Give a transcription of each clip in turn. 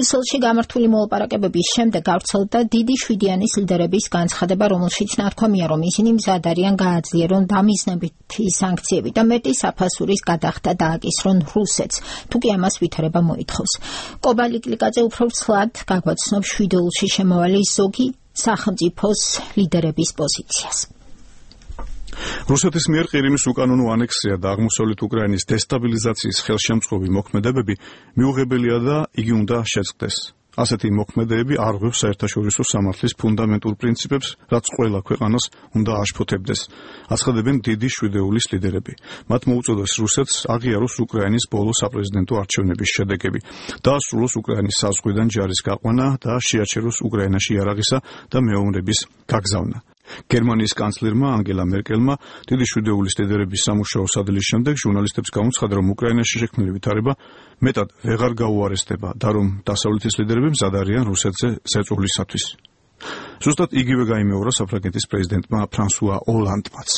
ბრიუსელში გამართული მოლაპარაკებების შემდეგ გავრცელდა დიდი შვიდიანის ლიდერების განცხადება, რომელშიც ნათქვამია, რომ ისინი მზად არიან გააძლიერონ დამიზნებითი სანქციები და მეტი საფასურის გადახდა დააკისრონ რუსეთს, თუკი ამას ვითარება მოითხოვს. კობალიკლიკაძე უფრო ცლად გაგვაცნობს შვიდეულში შემავალი ზოგი სახელმწიფოს ლიდერების პოზიციას. რუსეთის მიერ ყირიმის უკანონო ანექსია და აღმოსავლეთ უკრაინის დესტაბილიზაციის ხელშემწყობი მოქმედებები მიუღებელია და იგი უნდა შეწყდეს. ასეთი მოქმედებები არ ღვევს საერთაშორისო სამართლის ფუნდამენტურ პრინციპებს, რაც ყველა ქვეყანას უნდა აშფოთებდეს. აცხადებენ დიდი შვიდეულის ლიდერები. მათ მოუწოდეს რუსეთს აღიაროს უკრაინის ბოლო საპრეზიდენტო არჩევნების შედეგები, დაასრულოს უკრაინის საზღვიდან ჯარის გაყვანა და შეაჩეროს უკრაინაში იარაღისა და მეომრების გაგზავნა. გერმანიის კანცლერმა ანგელა მერკელმა დიდი შვიდეულის ლიდერების სამუშაო სადილის შემდეგ ჟურნალისტებს გამოცხადა, რომ უკრაინაში შექმნილი ვითარება მეტად ვეღარ გაუარესდება და რომ დასავლეთის ლიდერები მზად არიან რუსეთზე ზეწოლისათვის. ზუსტად იგივე გაიმეორა საფრანგეთის პრეზიდენტმა ფრანსუა ოლანდმაც.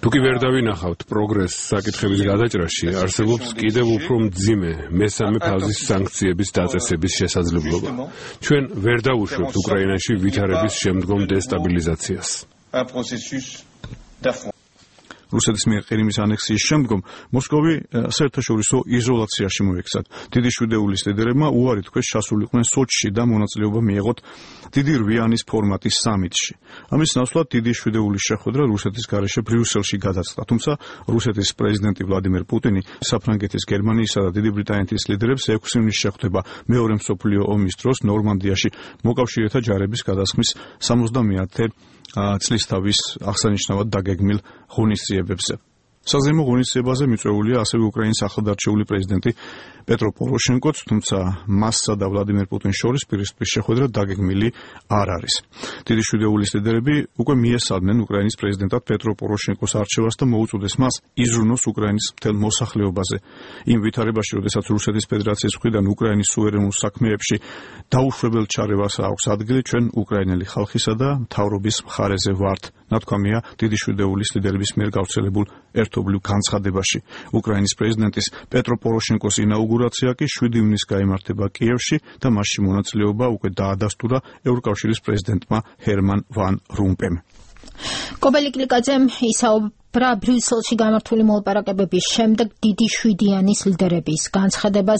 თუკი ვერ დავინახავთ პროგრესს საკითხების გადაჭრაში, არსებობს კიდევ უფრო მძიმე მესამე ფაზის სანქციების დაწესების შესაძლებლობა. ჩვენ ვერ დავუშვებთ უკრაინაში ვითარების შემდგომ დესტაბილიზაციას. რუსეთის მიერ ყირიმის ანექსიის შემდგომ მოსკოვი საერთაშორისო იზოლაციაში მოექცა. დიდი შვიდეულის ლიდერებმა უარი თქვეს ჩასულიყვნენ სოჩში და მონაწილეობა მიეღოთ დიდი რვიანის ფორმატის სამიტში. ამის ნაცვლად დიდი შვიდეულის შეხვედრა რუსეთის გარეშე ბრიუსელში გადაწყდა, თუმცა რუსეთის პრეზიდენტი ვლადიმერ პუტინი საფრანგეთის, გერმანიისა და დიდი ბრიტანეთის ლიდერებს 6 ივნისს შეხვდება მეორე მსოფლიო ომის დროს ნორმანდიაში მოკავშირეთა ჯარების გადასხმის 70-ე წლის თავის აღსანიშნავად დაგეგმილ ღონისძიებებზე. საზეიმო ღონისძიებაზე მიწვეულია ასევე უკრაინის ახალდარჩეული პრეზიდენტი პეტრო პოროშენკოც, თუმცა მასსა და ვლადიმერ პუტინს შორის პირისპირ შეხვედრა დაგეგმილი არ არის. დიდი შვიდეულის ლიდერები უკვე მიესალმნენ უკრაინის პრეზიდენტად პეტრო პოროშენკოს არჩევას და მოუწოდეს მას იზრუნოს უკრაინის მთელ მოსახლეობაზე. იმ ვითარებაში, როდესაც რუსეთის ფედერაციის მხრიდან უკრაინის სუვერენულ საქმეებში დაუშვებელ ჩარევას აქვს ადგილი, ჩვენ უკრაინელი ხალხისა და მთავრობის მხარეზე ვართ, ნათქვამია დიდი შვიდეულის ლიდერების მიერ გავრცელებულ ერთობლივ განცხადებაში. უკრაინის პრეზიდენტის პეტრო პოროშენკოს ინაუგურაცია კი 7 ივნისს გაიმართება კიევში და მასში მონაწილეობა უკვე დაადასტურა ევროკავშირის პრეზიდენტმა ჰერმან ვან რომპემ. კობალიკლიკაძემ ისაუბრა ბრიუსელში გამართული მოლაპარაკებების შემდეგ დიდი შვიდიანის ლიდერების განცხადებას